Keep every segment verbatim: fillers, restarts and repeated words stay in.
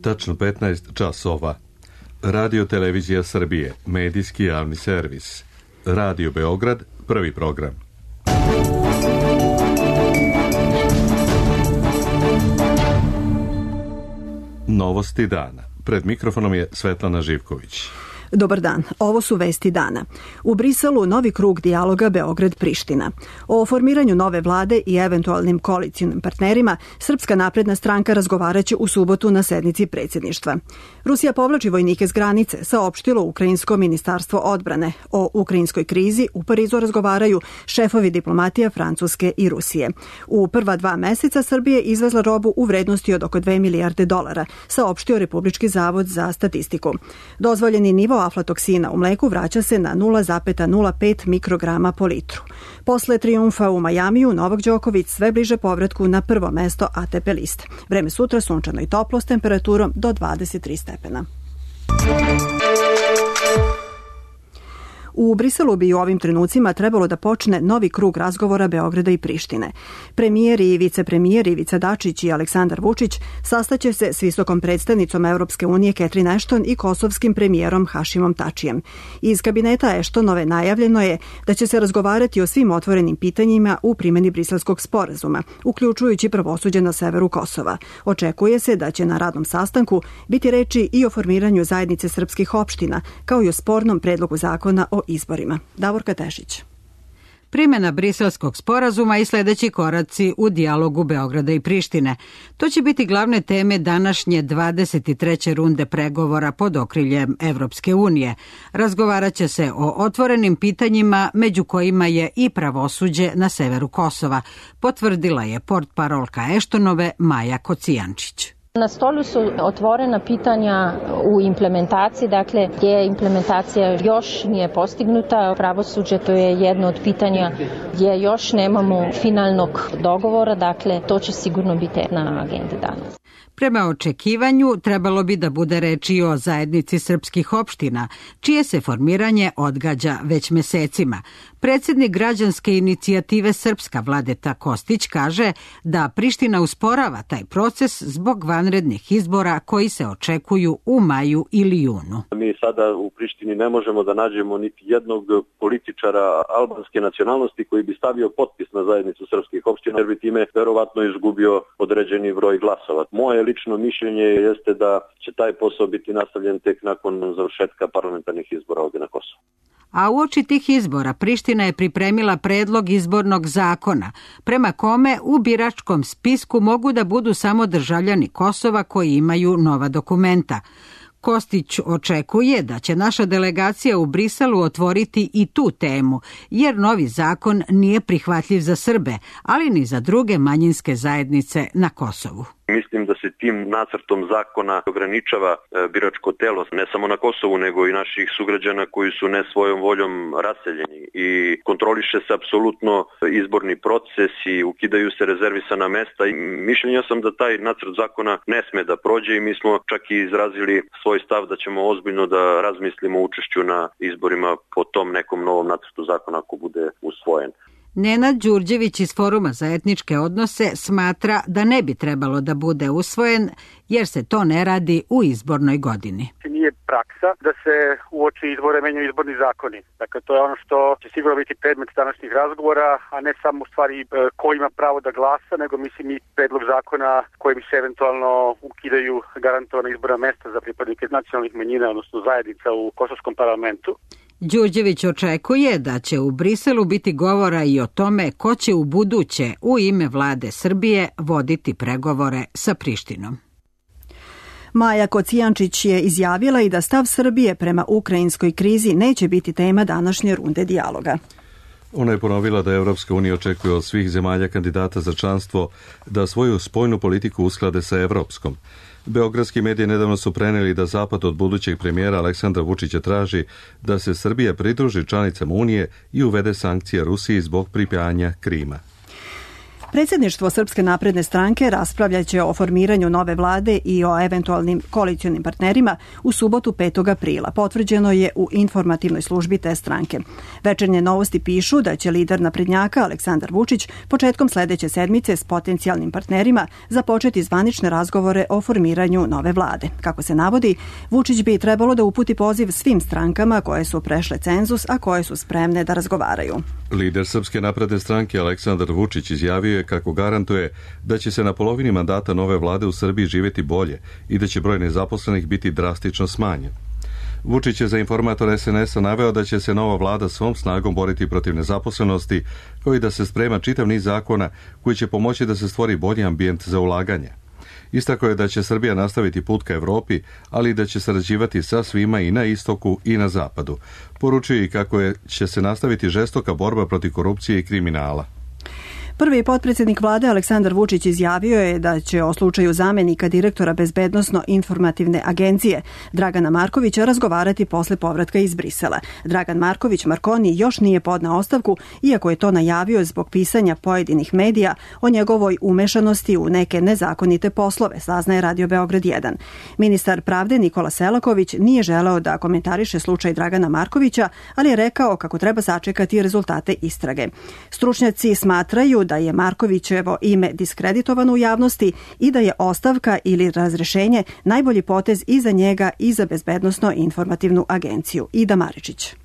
tačno petnaest časova. Radio Televizija Srbije, medijski javni servis. Radio Beograd, prvi program. Novosti dana. Pred mikrofonom je Svetlana Živković. Dobar dan, ovo su vesti dana. U Briselu novi krug dijaloga Beograd-Priština. O formiranju nove vlade i eventualnim koalicijnim partnerima Srpska napredna stranka razgovaraće u subotu na sednici predsjedništva. Rusija povlači vojnike s granice, saopštilo Ukrajinsko ministarstvo odbrane. O ukrajinskoj krizi u Parizu razgovaraju šefovi diplomatija Francuske i Rusije. U prva dva meseca Srbije izvezla robu u vrednosti od oko dve milijarde dolara, saopštio Republički zavod za statistiku. Dozvoljeni nivo aflatoksina u mleku vraća se na nula zarez nula pet mikrograma po litru. Posle trijumfa u Majamiju, Novak Đoković sve bliže povratku na prvo mesto A T P liste. Vreme sutra sunčano i toplo s temperaturom do dvadeset tri stepena. U Briselu bi u ovim trenucima trebalo da počne novi krug razgovora Beograda i Prištine. Premijer i vicepremijer Ivica Dačić i Aleksandar Vučić sastaće se s visokom predstavnicom Evropske unije Catherine Ashton i kosovskim premijerom Hašimom Tačijem. Iz kabineta Ashtonove najavljeno je da će se razgovarati o svim otvorenim pitanjima u primjeni Briselskog sporazuma, uključujući pravosuđe na severu Kosova. Očekuje se da će na radnom sastanku biti reči i o formiranju zajednice srpskih opština, kao i o spornom predlogu zakona o izborima. Davorka Tešić. Primjena Briselskog sporazuma i sljedeći koraci u dijalogu Beograda i Prištine. To će biti glavne teme današnje dvadeset treće runde pregovora pod okriljem Evropske unije. Razgovarat će se o otvorenim pitanjima, među kojima je i pravosuđe na severu Kosova, potvrdila je portparolka Ashtonove Maja Kocijančić. Na stolu su otvorena pitanja u implementaciji, dakle gdje implementacija još nije postignuta. Pravosuđe, to je jedno od pitanja gdje još nemamo finalnog dogovora, dakle to će sigurno biti na agendi danas. Prema očekivanju trebalo bi da bude reči o zajednici srpskih opština, čije se formiranje odgađa već mesecima. Predsjednik građanske inicijative Srpska Vladeta Kostić kaže da Priština usporava taj proces zbog vanrednih izbora koji se očekuju u maju ili junu. Mi sada u Prištini ne možemo da nađemo niti jednog političara albanske nacionalnosti koji bi stavio potpis na zajednicu srpskih opština, jer bi time verovatno izgubio određeni broj glasova. Moje lično mišljenje jeste da će taj posao biti nastavljen tek nakon završetka parlamentarnih izbora ovdje na Kosovu. A uoči tih izbora Priština je pripremila predlog izbornog zakona, prema kome u biračkom spisku mogu da budu samo državljani Kosova koji imaju nova dokumenta. Kostić očekuje da će naša delegacija u Briselu otvoriti i tu temu, jer novi zakon nije prihvatljiv za Srbe, ali ni za druge manjinske zajednice na Kosovu. Mislim da se tim nacrtom zakona ograničava biračko telo ne samo na Kosovu, nego i naših sugrađana koji su ne svojom voljom raseljeni i kontroliše se apsolutno izborni proces i ukidaju se rezervisana mesta. I mišljenja sam da taj nacrt zakona ne sme da prođe i mi smo čak i izrazili svoj stav da ćemo ozbiljno da razmislimo o učešću na izborima po tom nekom novom nacrtu zakona ako bude usvojen. Nenad Đurđević iz Foruma za etničke odnose smatra da ne bi trebalo da bude usvojen jer se to ne radi u izbornoj godini. Nije praksa da se uoči izbore menjaju izborni zakoni. Dakle, to je ono što će sigurno biti predmet današnjih razgovora, a ne samo u stvari ko ima pravo da glasa, nego mislim i predlog zakona kojim se eventualno ukidaju garantovana izborna mesta za pripadnike nacionalnih manjina, odnosno zajednica u kosovskom parlamentu. Đurđević očekuje da će u Briselu biti govora i o tome ko će u buduće u ime vlade Srbije voditi pregovore sa Prištinom. Maja Kocijančić je izjavila i da stav Srbije prema ukrajinskoj krizi neće biti tema današnje runde dijaloga. Ona je ponovila da Evropska unija očekuje od svih zemalja kandidata za članstvo da svoju spoljnu politiku usklade sa evropskom. Beogradski mediji nedavno su preneli da Zapad od budućeg premijera Aleksandra Vučića traži da se Srbija pridruži članicama Unije i uvede sankcije Rusiji zbog pripajanja Krima. Predsjedništvo Srpske napredne stranke raspravljaće o formiranju nove vlade i o eventualnim koalicionim partnerima u subotu petog aprila. Potvrđeno je u informativnoj službi te stranke. Večernje novosti pišu da će lider naprednjaka Aleksandar Vučić početkom sledeće sedmice s potencijalnim partnerima započeti zvanične razgovore o formiranju nove vlade. Kako se navodi, Vučić bi trebalo da uputi poziv svim strankama koje su prešle cenzus, a koje su spremne da razgovaraju. Lider Srpske napredne stranke Aleksandar Vučić izjavio je kako garantuje da će se na polovini mandata nove vlade u Srbiji živjeti bolje i da će broj nezaposlenih biti drastično smanjen. Vučić je za informator es en es a naveo da će se nova vlada svom snagom boriti protiv nezaposlenosti, kao i da se sprema čitav niz zakona koji će pomoći da se stvori bolji ambijent za ulaganje. Istakao je da će Srbija nastaviti put ka Evropi, ali i da će sarađivati sa svima i na istoku i na zapadu. Poručuje i kako je, će se nastaviti žestoka borba protiv korupcije i kriminala. Prvi potpredsjednik vlade Aleksandar Vučić izjavio je da će o slučaju zamenika direktora Bezbednosno-informativne agencije Dragana Markovića razgovarati posle povratka iz Brisela. Dragan Marković Markoni još nije podneo ostavku, iako je to najavio zbog pisanja pojedinih medija o njegovoj umešanosti u neke nezakonite poslove, saznaje Radio Beograd jedan. Ministar pravde Nikola Selaković nije želeo da komentariše slučaj Dragana Markovića, ali je rekao kako treba sačekati rezultate istrage. Stručnjaci smatraju da je Markovićevo ime diskreditovano u javnosti i da je ostavka ili razrešenje najbolji potez i za njega i za Bezbednosno-informativnu agenciju. Ida Maričić.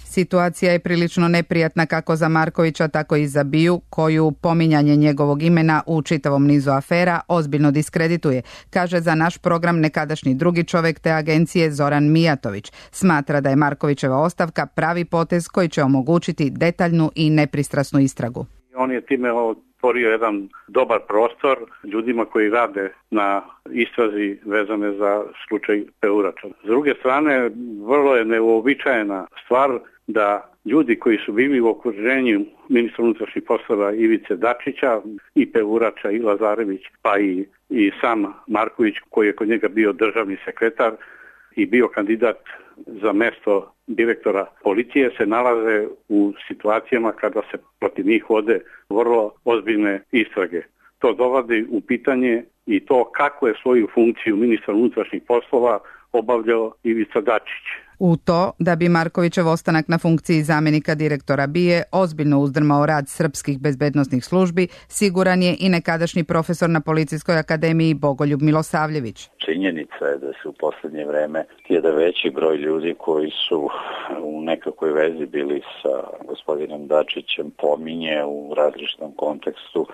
Situacija je prilično neprijatna kako za Markovića, tako i za Biju, koju pominjanje njegovog imena u čitavom nizu afera ozbiljno diskredituje, kaže za naš program nekadašnji drugi čovek te agencije Zoran Mijatović. Smatra da je Markovićeva ostavka pravi potez koji će omogućiti detaljnu i nepristrasnu istragu. On je time otvorio jedan dobar prostor ljudima koji rade na istrazi vezane za slučaj Peurača. S druge strane, vrlo je neuobičajena stvar da ljudi koji su bili u okruženju ministra unutrašnjih poslova Ivice Dačića i Peurača i Lazarević, pa i, i sam Marković koji je kod njega bio državni sekretar i bio kandidat za mesto direktora policije, se nalaze u situacijama kada se protiv njih vode vrlo ozbiljne istrage. To dovodi u pitanje i to kako je svoju funkciju ministra unutrašnjih poslova obavljao Ivica Dačić. U to da bi Markovićev ostanak na funkciji zamenika direktora BIA ozbiljno uzdrmao rad srpskih bezbednosnih službi, siguran je i nekadašnji profesor na Policijskoj akademiji Bogoljub Milosavljević. Činjenica je da se u poslednje vreme jedan veći broj ljudi koji su u nekakvoj vezi bili sa gospodinom Dačićem pominje u različitom kontekstu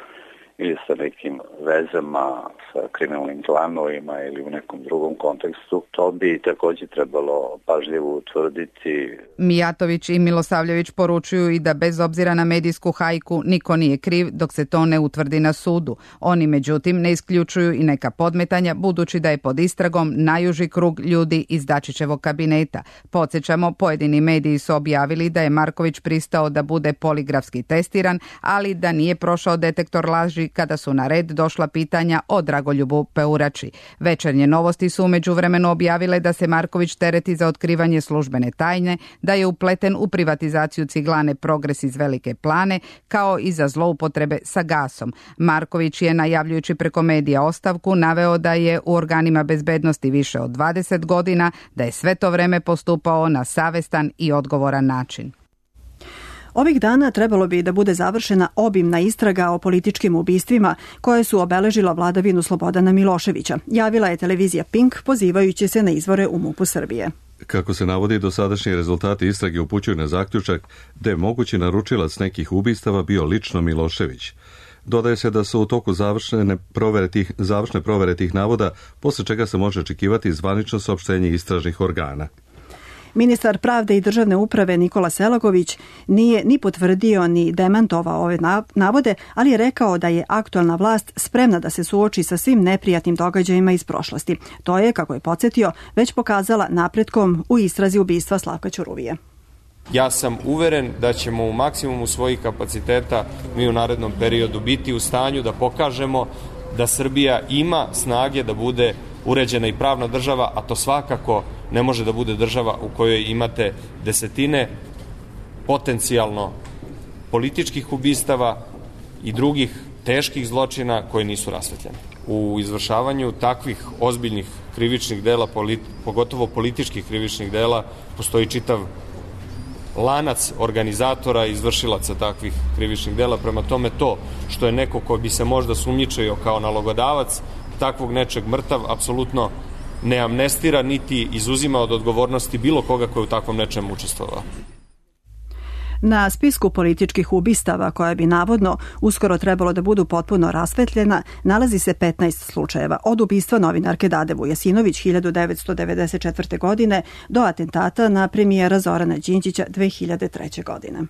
ili sa nekim vezama sa kriminalnim klanovima ili u nekom drugom kontekstu. To bi također trebalo pažljivo utvrditi. Mijatović i Milosavljević poručuju i da bez obzira na medijsku hajku niko nije kriv dok se to ne utvrdi na sudu. Oni međutim ne isključuju i neka podmetanja budući da je pod istragom najuži krug ljudi iz Dačićevog kabineta. Podsjećamo, pojedini mediji su objavili da je Marković pristao da bude poligrafski testiran, ali da nije prošao detektor laži kada su na red došla pitanja o Dragoljubu Peurači. Večernje novosti su umeđu vremenu objavile da se Marković tereti za otkrivanje službene tajne, da je upleten u privatizaciju ciglane Progres iz Velike Plane, kao i za zloupotrebe sa gasom. Marković je, najavljujući preko medija ostavku, naveo da je u organima bezbednosti više od dvadeset godina, da je sve to vreme postupao na savestan i odgovoran način. Ovih dana trebalo bi da bude završena obimna istraga o političkim ubistvima koje su obeležila vladavinu Slobodana Miloševića, javila je televizija Pink pozivajući se na izvore u MUP-u Srbije. Kako se navodi, dosadašnji rezultati istrage upućuju na zaključak da je mogući naručilac nekih ubistava bio lično Milošević. Dodaje se da su u toku završne provere tih, završne provere tih navoda, posle čega se može očekivati zvanično saopštenje istražnih organa. Ministar pravde i državne uprave Nikola Selaković nije ni potvrdio ni demantovao ove navode, ali je rekao da je aktualna vlast spremna da se suoči sa svim neprijatnim događajima iz prošlosti. To je, kako je podsjetio, već pokazala napretkom u istrazi ubistva Slavka Ćuruvije. Ja sam uveren da ćemo u maksimumu svojih kapaciteta mi u narednom periodu biti u stanju da pokažemo da Srbija ima snage da bude uređena i pravna država, a to svakako ne može da bude država u kojoj imate desetine potencijalno političkih ubistava i drugih teških zločina koji nisu rasvetljeni. U izvršavanju takvih ozbiljnih krivičnih dela, pogotovo političkih krivičnih dela, postoji čitav lanac organizatora i izvršilaca takvih krivičnih dela. Prema tome, to što je neko ko bi se možda sumnjičio kao nalogodavac takvog nečeg mrtav, apsolutno ne amnestira niti izuzima od odgovornosti bilo koga koji je u takvom nečem učestvovao. Na spisku političkih ubistava, koja bi navodno uskoro trebalo da budu potpuno rasvetljena, nalazi se petnaest slučajeva, od ubistva novinarke Dade Vujasinović hiljadu devetsto devedeset četvrte. godine do atentata na premijera Zorana Đinđića dve hiljade treće. godine.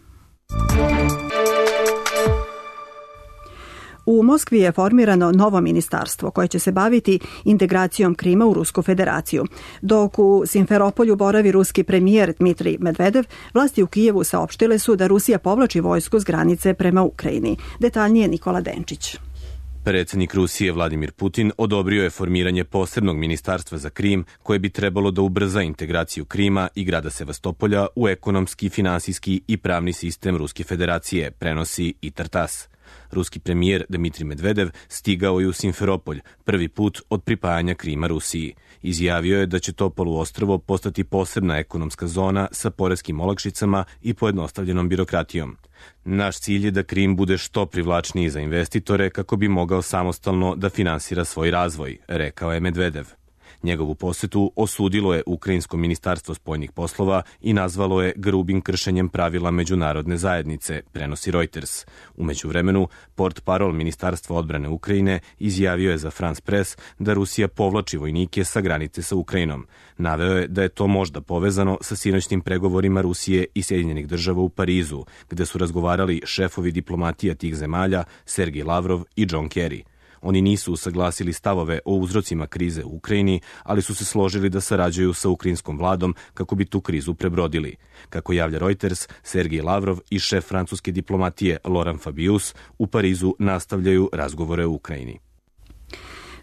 U Moskvi je formirano novo ministarstvo koje će se baviti integracijom Krima u Rusku federaciju. Dok u Simferopolju boravi ruski premijer Dmitrij Medvedev, vlasti u Kijevu saopštile su da Rusija povlači vojsku s granice prema Ukrajini. Detaljnije Nikola Denčić. Predsjednik Rusije Vladimir Putin odobrio je formiranje posebnog ministarstva za Krim koje bi trebalo da ubrza integraciju Krima i grada Sevastopolja u ekonomski, finansijski i pravni sistem Ruske federacije, prenosi i Tartas. Ruski premijer Dmitrij Medvedev stigao je u Simferopolj prvi put od pripajanja Krima Rusiji. Izjavio je da će to poluostrvo postati posebna ekonomska zona sa poreskim olakšicama i pojednostavljenom birokratijom. Naš cilj je da Krim bude što privlačniji za investitore kako bi mogao samostalno da finansira svoj razvoj, rekao je Medvedev. Njegovu posetu osudilo je Ukrajinsko ministarstvo spoljnih poslova i nazvalo je grubim kršenjem pravila međunarodne zajednice, prenosi Reuters. U međuvremenu, portparol Ministarstva odbrane Ukrajine izjavio je za France Press da Rusija povlači vojnike sa granice sa Ukrajinom. Naveo je da je to možda povezano sa sinoćnim pregovorima Rusije i Sjedinjenih država u Parizu, gde su razgovarali šefovi diplomatija tih zemalja Sergej Lavrov i John Kerry. Oni nisu usaglasili stavove o uzrocima krize u Ukrajini, ali su se složili da sarađuju sa ukrajinskom vladom kako bi tu krizu prebrodili. Kako javlja Reuters, Sergej Lavrov i šef francuske diplomatije Laurent Fabius u Parizu nastavljaju razgovore u Ukrajini.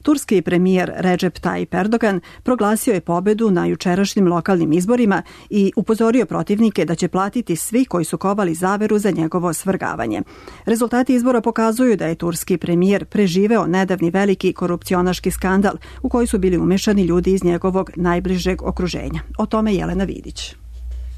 Turski premijer Recep Tayyip Erdogan proglasio je pobedu na jučerašnjim lokalnim izborima i upozorio protivnike da će platiti svi koji su kovali zaveru za njegovo svrgavanje. Rezultati izbora pokazuju da je turski premijer preživeo nedavni veliki korupcionaški skandal u koji su bili umešani ljudi iz njegovog najbližeg okruženja. O tome Jelena Vidić.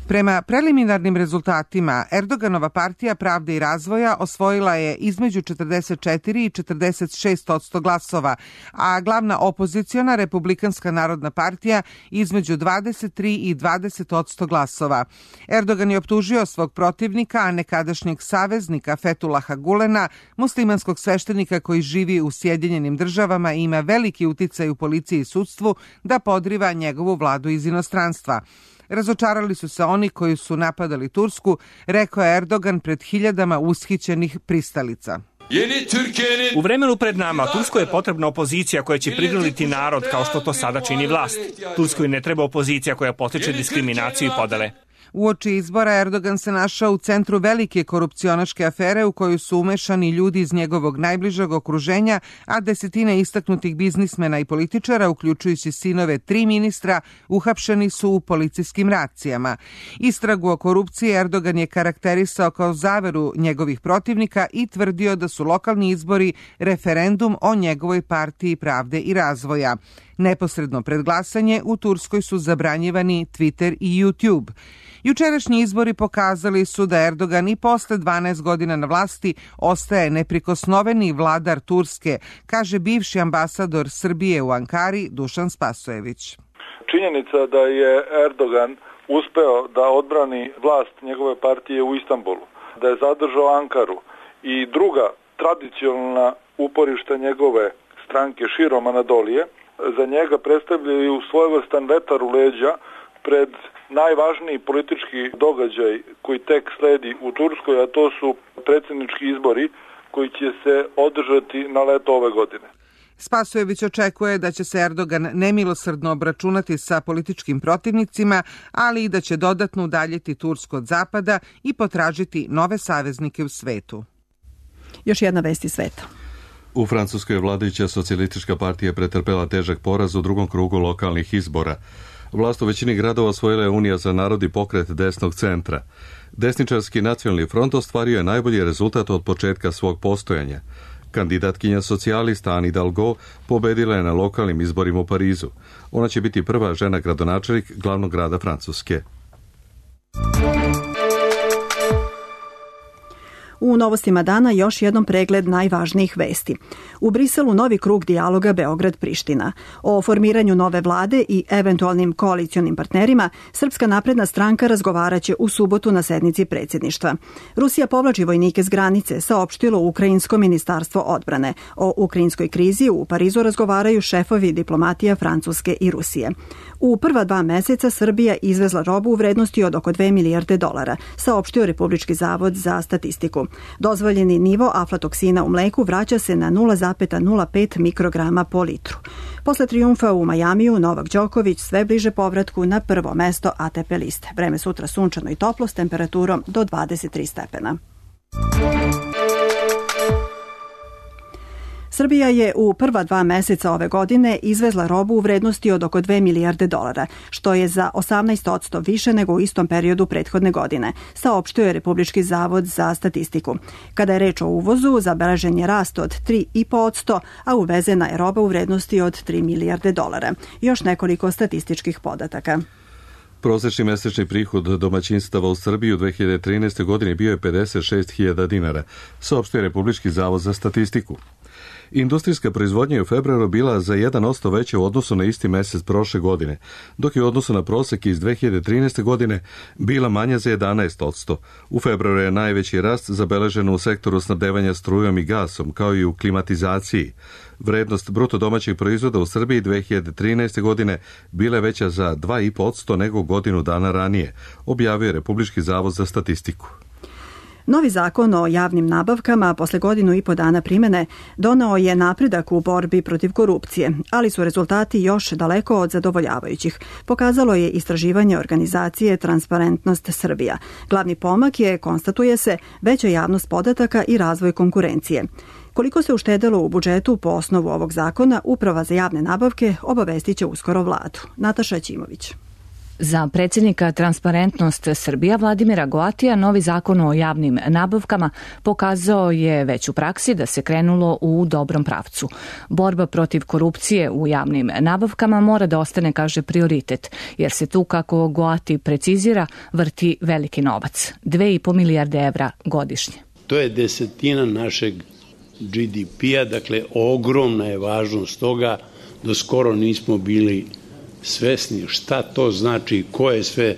Prema preliminarnim rezultatima, Erdoganova partija Pravde i razvoja osvojila je između četrdeset četiri i četrdeset šest posto glasova, a glavna opoziciona Republikanska narodna partija između dvadeset tri i dvadeset posto glasova. Erdogan je optužio svog protivnika, a nekadašnjeg saveznika Fetulaha Gulena, muslimanskog sveštenika koji živi u Sjedinjenim državama i ima veliki uticaj u policiji i sudstvu, da podriva njegovu vladu iz inostranstva. Razočarali su se oni koji su napadali Tursku, rekao je Erdogan pred hiljadama ushićenih pristalica. U vremenu pred nama Turskoj je potrebna opozicija koja će prigrliti narod kao što to sada čini vlast. Turskoj ne treba opozicija koja potiče diskriminaciju i podele. Uoči izbora Erdogan se našao u centru velike korupcionaške afere u koju su umešani ljudi iz njegovog najbližeg okruženja, a desetine istaknutih biznismena i političara, uključujući sinove tri ministra, uhapšeni su u policijskim racijama. Istragu o korupciji Erdogan je karakterisao kao zaveru njegovih protivnika i tvrdio da su lokalni izbori referendum o njegovoj partiji Pravde i razvoja. Neposredno pred glasanje u Turskoj su zabranjivani Twitter i YouTube. Jučerašnji izbori pokazali su da Erdogan i posle dvanaest godina na vlasti ostaje neprikosnoveni vladar Turske, kaže bivši ambasador Srbije u Ankari Dušan Spasojević. Činjenica da je Erdogan uspeo da odbrani vlast njegove partije u Istanbulu, da je zadržao Ankaru i druga tradicionalna uporišta njegove stranke širom Anadolije, za njega predstavljaju svojevrstan vetar u leđa pred najvažniji politički događaj koji tek sledi u Turskoj, a to su predsjednički izbori koji će se održati na leto ove godine. Spasojević očekuje da će se Erdogan nemilosrdno obračunati sa političkim protivnicima, ali i da će dodatno udaljiti Tursku od zapada i potražiti nove saveznike u svetu. Još jedna vest iz sveta. U Francuskoj vladajuća socijalistička partija pretrpela težak poraz u drugom krugu lokalnih izbora. Vlast u većini gradova osvojila je Unija za narod i pokret desnog centra. Desničarski nacionalni front ostvario je najbolji rezultat od početka svog postojanja. Kandidatkinja socijalista Anne Hidalgo pobedila je na lokalnim izborima u Parizu. Ona će biti prva žena gradonačelnik glavnog grada Francuske. U novostima dana još jednom pregled najvažnijih vesti. U Briselu novi krug dijaloga Beograd-Priština. O formiranju nove vlade i eventualnim koalicionim partnerima Srpska napredna stranka razgovaraće u subotu na sednici predsjedništva. Rusija povlači vojnike s granice, saopštilo Ukrajinsko ministarstvo odbrane. O ukrajinskoj krizi u Parizu razgovaraju šefovi diplomatija Francuske i Rusije. U prva dva meseca Srbija izvezla robu u vrednosti od oko dve milijarde dolara, saopštio Republički zavod za statistiku. Dozvoljeni nivo aflatoksina u mleku vraća se na nula zarez nula pet mikrograma po litru. Posle trijumfa u Majamiju, Novak Đoković sve bliže povratku na prvo mesto A T P liste. Vreme sutra sunčano i toplo s temperaturom do dvadeset tri stepena. Srbija je u prva dva meseca ove godine izvezla robu u vrednosti od oko dve milijarde dolara, što je za osamnaest posto više nego u istom periodu prethodne godine, saopštio je Republički zavod za statistiku. Kada je reč o uvozu, zabeležen je rast od tri zarez pet posto, a uvezena je roba u vrednosti od tri milijarde dolara. Još nekoliko statističkih podataka. Prosječni mesečni prihod domaćinstava u Srbiji u dve hiljade trinaeste. godini bio je pedeset šest hiljada dinara, saopštio je Republički zavod za statistiku. Industrijska proizvodnja je u februaru bila za jedan posto veća u odnosu na isti mesec prošle godine, dok je u odnosu na prosek iz dve hiljade trinaeste. godine bila manja za jedanaest posto. U februaru je najveći rast zabeležen u sektoru snabdevanja strujom i gasom, kao i u klimatizaciji. Vrednost bruto domaćeg proizvoda u Srbiji dve hiljade trinaeste. godine bila je veća za dva zarez pet posto nego godinu dana ranije, objavio je Republički zavod za statistiku. Novi zakon o javnim nabavkama posle godinu i po dana primene doneo je napredak u borbi protiv korupcije, ali su rezultati još daleko od zadovoljavajućih, pokazalo je istraživanje organizacije Transparentnost Srbija. Glavni pomak je, konstatuje se, veća javnost podataka i razvoj konkurencije. Koliko se uštedelo u budžetu po osnovu ovog zakona, Uprava za javne nabavke obavestit će uskoro vladu. Nataša Ćimović. Za predsjednika Transparentnost Srbija Vladimira Goatija novi zakon o javnim nabavkama pokazao je već u praksi da se krenulo u dobrom pravcu. Borba protiv korupcije u javnim nabavkama mora da ostane, kaže, prioritet, jer se tu, kako Goati precizira, vrti veliki novac, dve i po milijarde evra godišnje. To je desetina našeg G D P-a, dakle ogromna je važnost toga, do skoro nismo bili svesni šta to znači, koje sve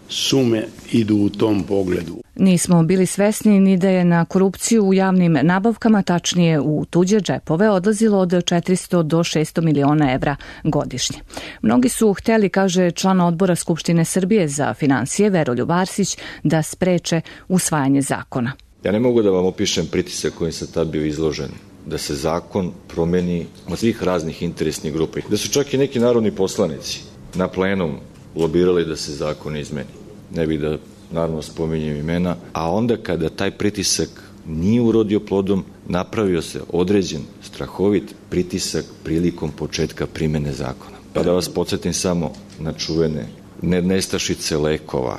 sume idu u tom pogledu. Nismo bili svesni ni da je na korupciju u javnim nabavkama, tačnije u tuđe džepove, odlazilo od četiristo do šesto miliona evra godišnje. Mnogi su hteli, kaže član odbora Skupštine Srbije za finansije Veroljub Arsić, da spreče usvajanje zakona. Ja ne mogu da vam opišem pritisak kojim sam tad bio izložen, da se zakon promeni od svih raznih interesnih grupa. Da su čak i neki narodni poslanici na plenum lobirali da se zakon izmeni. Ne bih da naravno spominjem imena, a onda kada taj pritisak nije urodio plodom, napravio se određen strahovit pritisak prilikom početka primene zakona. Pa da vas podsjetim samo na čuvene nestašice lekova,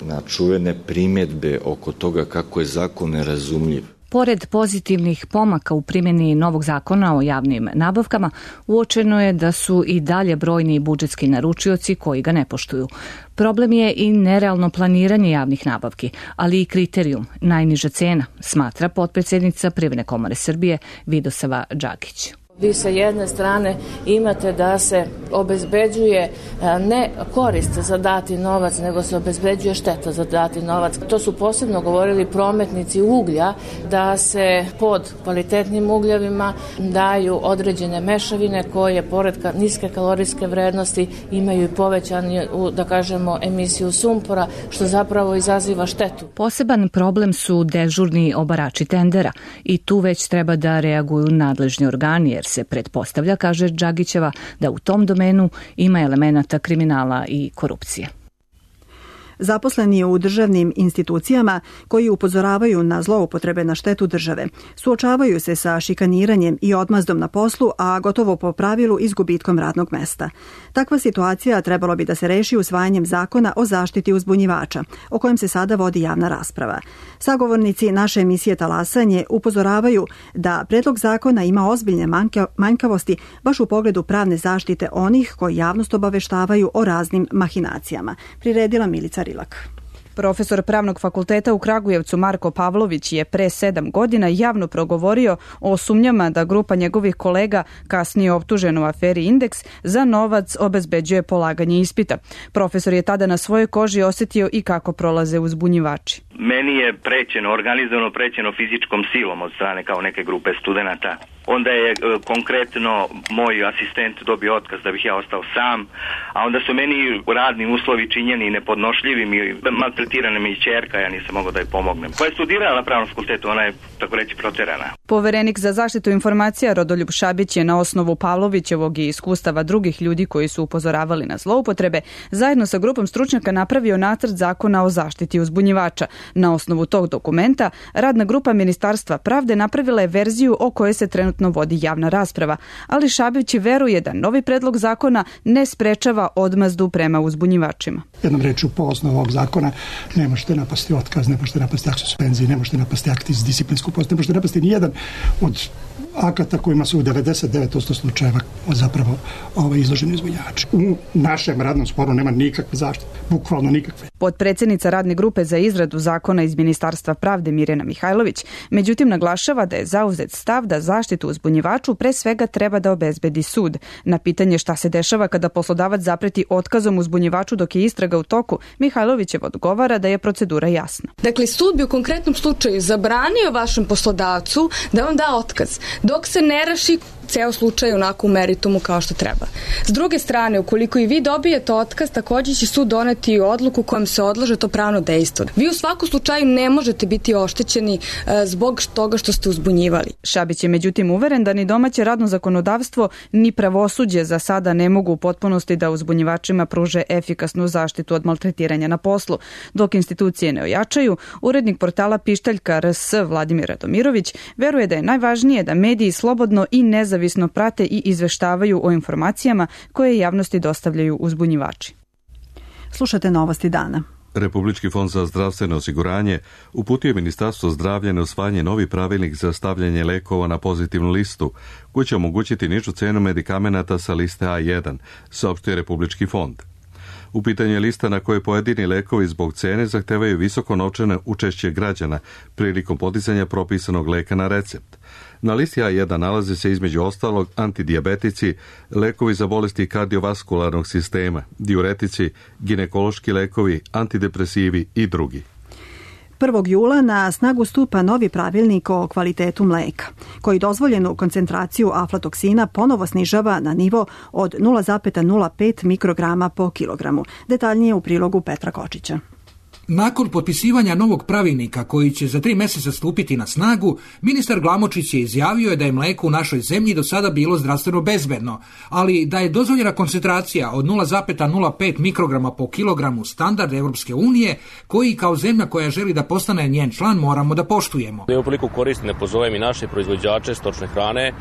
na čuvene primjedbe oko toga kako je zakon nerazumljiv. Pored pozitivnih pomaka u primjeni novog zakona o javnim nabavkama, uočeno je da su i dalje brojni budžetski naručioci koji ga ne poštuju. Problem je i nerealno planiranje javnih nabavki, ali i kriterijum, najniža cena, smatra potpredsjednica Privredne komore Srbije Vidosava Đagić. Vi sa jedne strane imate da se obezbeđuje ne korist za dati novac, nego se obezbeđuje šteta za dati novac. To su posebno govorili prometnici uglja, da se pod kvalitetnim ugljevima daju određene mešavine koje pored niske kalorijske vrednosti imaju i povećanu, da kažemo, emisiju sumpora, što zapravo izaziva štetu. Poseban problem su dežurni obarači tendera i tu već treba da reaguju nadležni organi, jer se pretpostavlja, kaže Đagićeva, da u tom domenu ima elemenata kriminala i korupcije. Zaposleni u državnim institucijama koji upozoravaju na zloupotrebe na štetu države suočavaju se sa šikaniranjem i odmazdom na poslu, a gotovo po pravilu i s gubitkom radnog mesta. Takva situacija trebalo bi da se reši usvajanjem zakona o zaštiti uzbunjivača, o kojem se sada vodi javna rasprava. Sagovornici naše emisije Talasanje upozoravaju da predlog zakona ima ozbiljne manjkavosti baš u pogledu pravne zaštite onih koji javnost obaveštavaju o raznim mahinacijama. Priredila Milica Rilak. Profesor Pravnog fakulteta u Kragujevcu Marko Pavlović je pre sedam godina javno progovorio o sumnjama da grupa njegovih kolega, kasnije optužena u aferi Indeks, za novac obezbeđuje polaganje ispita. Profesor je tada na svojoj koži osjetio i kako prolaze uzbunjivači. Meni je prećeno, organizovano prećeno fizičkom silom od strane kao neke grupe studenata. Onda je e, konkretno moj asistent dobio otkaz da bih ja ostao sam, a onda su meni radni uslovi činjeni nepodnošljivim i maltretirana mi i ćerka, ja nisam mogao da joj pomognem. Koja je studirala na Pravnom fakultetu, ona je tako reći proterana. Poverenik za zaštitu informacija Rodoljub Šabić je na osnovu Pavlovićevog i iskustava drugih ljudi koji su upozoravali na zloupotrebe zajedno sa grupom stručnjaka napravio nacrt zakona o zaštiti uzbunjivača. Na osnovu tog dokumenta radna grupa Ministarstva pravde napravila je verziju o kojoj se trenutno vodi javna rasprava, ali Šabić veruje da novi predlog zakona ne sprečava odmazdu prema uzbunjivačima. Jednom rečju, po osnovu ovog zakona ne možete napasti otkaz, ne možete napasti akt suspenzije, ne možete napasti akt iz disciplinskog postupka, ne možete napasti ni jedan od akata kojima su u devedeset devet posto slučajeva zapravo ovaj, izloženi uzbunjivači. U našem radnom sporu nema nikakve zaštite, bukvalno nikakve. Potpredsjednica radne grupe za izradu zakona iz Ministarstva pravde Mirjana Mihajlović, međutim naglašava da je zauzet stav da zaštitu uzbunjivaču pre svega treba da obezbedi sud. Na pitanje šta se dešava kada poslodavac zapreti otkazom uzbunjivaču dok je istraga u toku, Mihajlovićev odgovara da je procedura jasna. Dakle, sud bi u konkretnom slučaju zabranio vašem poslodavcu da vam da otkaz, dok se ne reši ceo slučaj onako u meritumu kao što treba. S druge strane, ukoliko i vi dobijete otkaz, također će sud doneti odluku kojom se odlaže to pravno dejstvo. Vi u svakom slučaju ne možete biti oštećeni e, zbog toga što ste uzbunjivali. Šabić je međutim uveren da ni domaće radno zakonodavstvo ni pravosuđe za sada ne mogu u potpunosti da uzbunjivačima pruže efikasnu zaštitu od maltretiranja na poslu. Dok institucije ne ojačaju, urednik portala Pištaljka R S Vladimir Radomirović veruje da je najvažnije da mediji slobodno i nezavisno Zavisno prate i izveštavaju o informacijama koje javnosti dostavljaju uzbunjivači. Slušate novosti dana. Republički fond za zdravstveno osiguranje uputio je Ministarstvo zdravlja na usvajanje novi pravilnik za stavljanje lekova na pozitivnu listu, koji će omogućiti nižu cenu medikamenata sa liste A jedan, saopštio Republički fond. U pitanju je lista na kojoj pojedini lekovi zbog cene zahtevaju visoko novčano učešće građana prilikom podizanja propisanog leka na recept. Na listi A jedan nalaze se između ostalog antidijabetici, lekovi za bolesti kardiovaskularnog sistema, diuretici, ginekološki lekovi, antidepresivi i drugi. prvog jula na snagu stupa novi pravilnik o kvalitetu mleka, koji dozvoljenu koncentraciju aflatoksina ponovo snižava na nivo od nula zarez nula pet mikrograma po kilogramu. Detaljnije u prilogu Petra Kočića. Nakon potpisivanja novog pravilnika koji će za tri mjeseca stupiti na snagu, ministar Glamočić je izjavio da je mleko u našoj zemlji do sada bilo zdravstveno bezbedno, ali da je dozvoljena koncentracija od nula zarez nula pet mikrograma po kilogramu standard Europske unije, koji kao zemlja koja želi da postane njen član moramo da poštujemo. Evo priliku koristim da pozovem i naše proizvođače stočne hrane, e,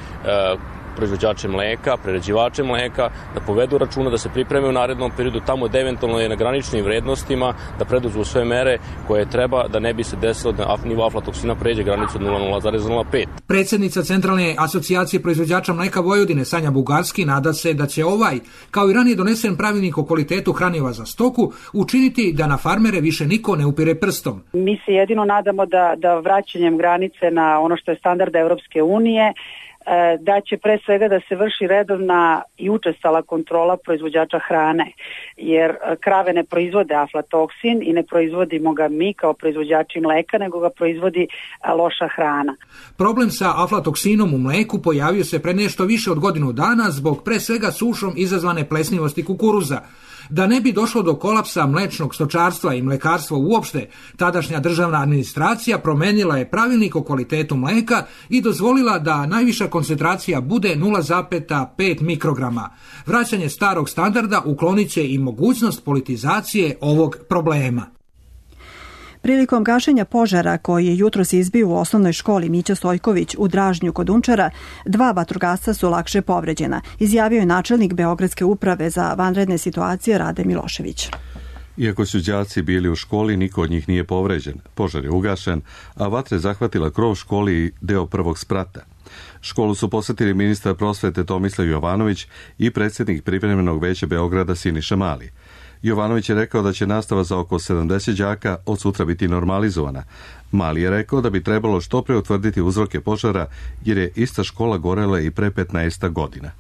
proizvođače mleka, prerađivače mleka, da povedu računa, da se pripreme u narednom periodu tamo da eventualno je na graničnim vrednostima, da preduzmu sve mere koje treba da ne bi se desilo da nivo aflatoksina pređe granicu od nula zarez nula pet. Predsjednica Centralne asocijacije proizvođača mleka Vojvodine Sanja Bugarski nada se da će ovaj, kao i ranije donesen pravilnik o kvalitetu hraniva za stoku, učiniti da na farmere više niko ne upire prstom. Mi se jedino nadamo da, da vraćanjem granice na ono što je standard Europske unije, da će pre svega da se vrši redovna i učestala kontrola proizvođača hrane, jer krave ne proizvode aflatoksin i ne proizvodimo ga mi kao proizvođači mleka, nego ga proizvodi loša hrana. Problem sa aflatoksinom u mleku pojavio se pre nešto više od godinu dana zbog pre svega sušom izazvane plesnivosti kukuruza. Da ne bi došlo do kolapsa mlečnog stočarstva i mlekarstva uopšte, tadašnja državna administracija promenila je pravilnik o kvalitetu mleka i dozvolila da najviša koncentracija bude nula zarez pet mikrograma. Vraćanje starog standarda uklonit će i mogućnost politizacije ovog problema. Prilikom gašenja požara koji je jutros izbio u osnovnoj školi Mića Stojković u Dražnju kod Unčara, dva vatrogasca su lakše povređena, izjavio je načelnik Beogradske uprave za vanredne situacije Rade Milošević. Iako su đaci bili u školi, niko od njih nije povređen. Požar je ugašen, a vatra je zahvatila krov školi i deo prvog sprata. Školu su posjetili ministar prosvete Tomislav Jovanović i predsjednik privremenog veća Beograda Siniša Mali. Jovanović je rekao da će nastava za oko sedamdeset đaka od sutra biti normalizovana. Mali je rekao da bi trebalo što pre utvrditi uzroke požara, jer je ista škola gorela i pre petnaest godina.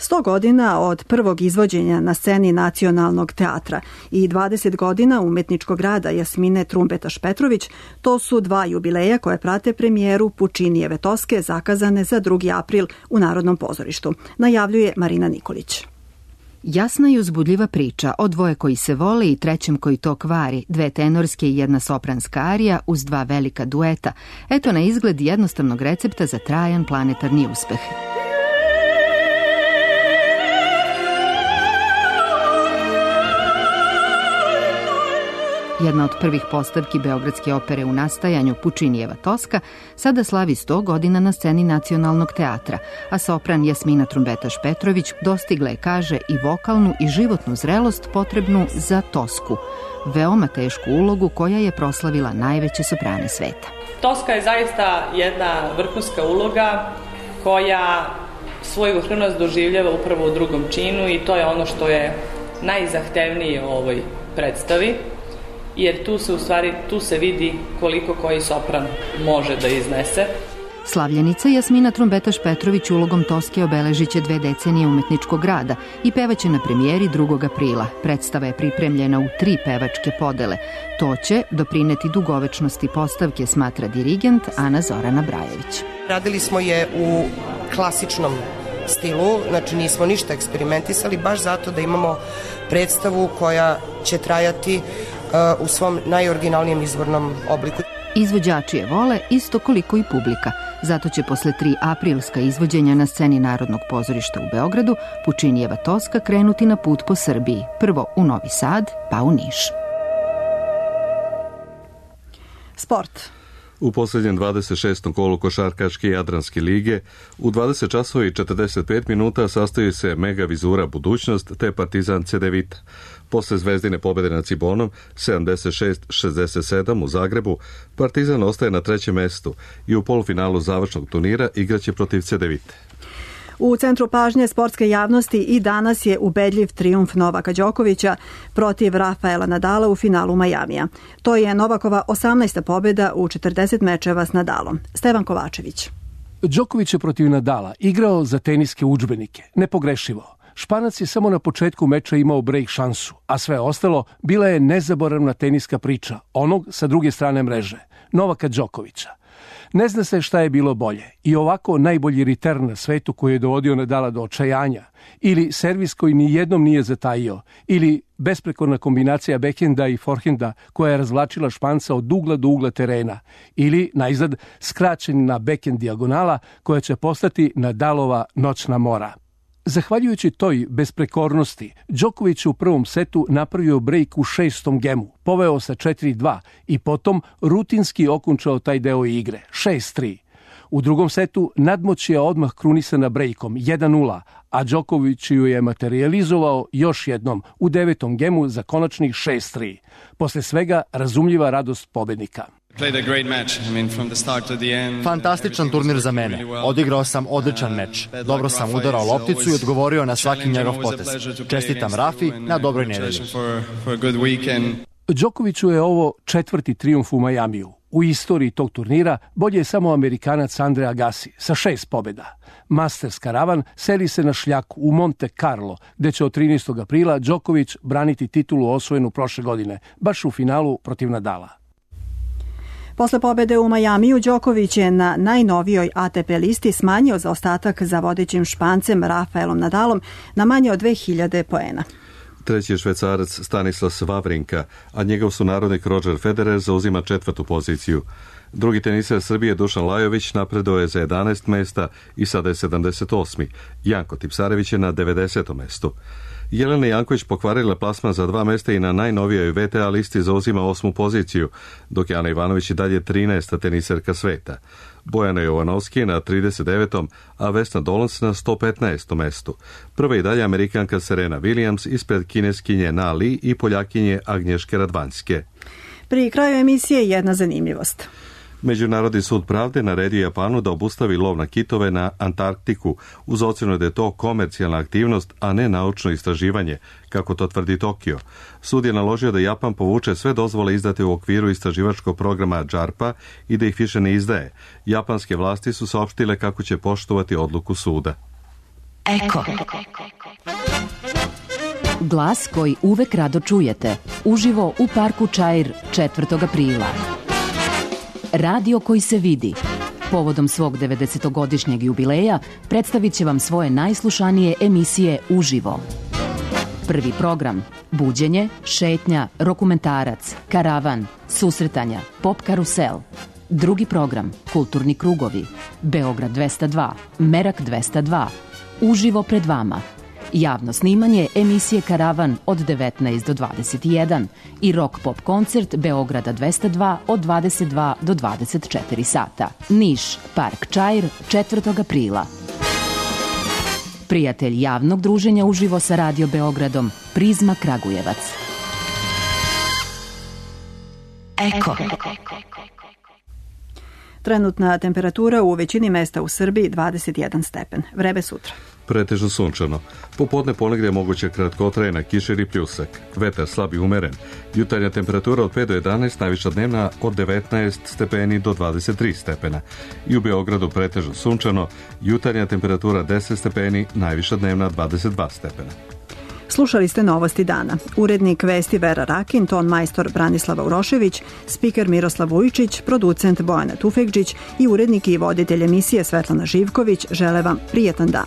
sto godina od prvog izvođenja na sceni Nacionalnog teatra i dvadeset godina umetničkog rada Jasmine Trumbetaš-Petrović, to su dva jubileja koje prate premijeru Pučinijeve Toske zakazane za drugi april u Narodnom pozorištu, najavljuje Marina Nikolić. Jasna i uzbudljiva priča o dvoje koji se vole i trećem koji to kvari, dve tenorske i jedna sopranska arija uz dva velika dueta. Eto na izgled jednostavnog recepta za trajan planetarni uspeh. Jedna od prvih postavki Beogradske opere u nastajanju, Pučinijeva Toska, sada slavi sto godina na sceni Nacionalnog teatra, a sopran Jasmina Trumbetaš-Petrović dostigla je, kaže, i vokalnu i životnu zrelost potrebnu za Tosku, veoma tešku ulogu koja je proslavila najveće soprane sveta. Toska je zaista jedna vrhunska uloga koja svoj vrhunac doživljava upravo u drugom činu i to je ono što je najzahtevnije u ovoj predstavi. Jer tu se u stvari, tu se vidi koliko koji sopran može da iznese. Slavljenica Jasmina Trumbetaš-Petrović ulogom Toske obeležit će dve decenije umetničkog rada i pevaće na premijeri drugog aprila. Predstava je pripremljena u tri pevačke podele. To će doprineti dugovečnosti postavke, smatra dirigent Ana Zorana Brajević. Radili smo je u klasičnom stilu, znači nismo ništa eksperimentisali, baš zato da imamo predstavu koja će trajati u svom najoriginalnijem izvornom obliku. Izvođači je vole isto koliko i publika. Zato će posle tri aprilska izvođenja na sceni Narodnog pozorišta u Beogradu Pučinijeva Toska krenuti na put po Srbiji. Prvo u Novi Sad, pa u Niš. Sport. U posljednjem dvadeset šestom kolu košarkaške Jadranske lige u dvadeset časova i četrdeset pet minuta sastoji se Mega Vizura Budućnost te Partizan Cedevita. Posle Zvezdine pobjede nad Cibonom sedamdeset šest šezdeset sedam u Zagrebu, Partizan ostaje na trećem mestu i u polufinalu završnog turnira igraće protiv Cedevite. U centru pažnje sportske javnosti i danas je ubedljiv trijumf Novaka Đokovića protiv Rafaela Nadala u finalu Majamija. To je Novakova osamnaesta pobjeda u četrdeset mečeva s Nadalom. Stevan Kovačević. Đoković je protiv Nadala igrao za teniske udžbenike, nepogrešivo. Španac je samo na početku meča imao break šansu, a sve ostalo bila je nezaboravna teniska priča onog sa druge strane mreže, Novaka Đokovića. Ne zna se šta je bilo bolje, i ovako najbolji return na svetu koji je dovodio Nadala do očajanja, ili servis koji ni jednom nije zatajio, ili besprekorna kombinacija backhenda i forehenda koja je razvlačila Španca od ugla do ugla terena, ili najzad skraćena backhend dijagonala koja će postati Nadalova noćna mora. Zahvaljujući toj besprekornosti, Đoković u prvom setu napravio break u šestom gemu, poveo sa četiri dva i potom rutinski okončao taj deo igre, šest tri. U drugom setu nadmoć je odmah krunisana breakom jedan nula, a Đoković ju je materializovao još jednom u devetom gemu za konačnih šest tri. Posle svega razumljiva radost pobednika. Fantastičan turnir za mene. Odigrao sam odličan meč. Dobro sam udarao lopticu i odgovorio na svaki njegov potez. Čestitam Rafi na dobroj nedelji. Đokoviću je ovo četvrti trijumf u Majamiju. U istoriji tog turnira bolje je samo Amerikanac Andre Agassi sa šest pobjeda. Masters karavan seli se na šljaku u Monte Carlo, gde će od trinaestog aprila Đoković braniti titulu osvojenu prošle godine, baš u finalu protiv Nadala. Posle pobede u Majamiju, Đoković je na najnovijoj A T P listi smanjio zaostatak za vodećim Špancem Rafaelom Nadalom na manje od dve hiljade poena. Treći je Švecarac Stanislas Wawrinka, a njegov sunarodnik Roger Federer zauzima četvrtu poziciju. Drugi teniser Srbije Dušan Lajović napredovao je za jedanaest mesta i sada je sedamdeset osmi. Janko Tipsarević je na devedesetom mestu. Jelena Janković pokvarila plasman za dva mesta i na najnovijoj V T A listi zauzima osmu poziciju, dok je Ana Ivanović i dalje trinaesta teniserka sveta. Bojana Jovanovski je na trideset devetom, a Vesna Dolans na sto petnaestom mestu. Prva i dalje Amerikanka Serena Williams ispred kineskinje Na Li i Poljakinje Agnješke Radvanjske. Pri kraju emisije jedna zanimljivost. Međunarodni sud pravde naredio Japanu da obustavi lov na kitove na Antarktiku, uz ocjenu da je to komercijalna aktivnost, a ne naučno istraživanje, kako to tvrdi Tokio. Sud je naložio da Japan povuče sve dozvole izdate u okviru istraživačkog programa džarpa i da ih više ne izdaje. Japanske vlasti su saopštile kako će poštovati odluku suda. Eko. Glas koji uvek rado čujete, uživo u parku Čair četvrtog aprila. Radio koji se vidi. Povodom svog devedesetogodišnjeg jubileja predstavit će vam svoje najslušanije emisije uživo. Prvi program – buđenje, šetnja, dokumentarac, karavan, susretanja, pop karusel. Drugi program – kulturni krugovi, Beograd dvesta dva, Merak dvesta dva, uživo pred vama. Javno snimanje emisije Karavan od devetnaest do dvadeset jedan i rock pop koncert Beograda dvesta dva od dvadeset dva do dvadeset četiri sata. Niš, Park Čair, četvrtog aprila. Prijatelj javnog druženja uživo sa Radio Beogradom, Prizma Kragujevac. Eko. Trenutna temperatura u većini mesta u Srbiji dvadeset jedan stepen. Vreme sutra. Pretežno sunčano. Popodne ponegdje moguće kratkotrajna kiša ili pljusak. Vetar slab i umeren. Jutarnja temperatura od pet do jedanaest, najviša dnevna od devetnaest stepeni do dvadeset tri stepena. I u Beogradu pretežno sunčano. Jutarnja temperatura deset stepeni, najviša dnevna dvadeset dva stepena. Slušali ste Novosti dana. Urednik vesti Vera Rakin, ton majstor Branislava Urošević, spiker Miroslav Vujičić, producent Bojana Tufekđić i urednik i voditelj emisije Svetlana Živković žele vam prijetan dan.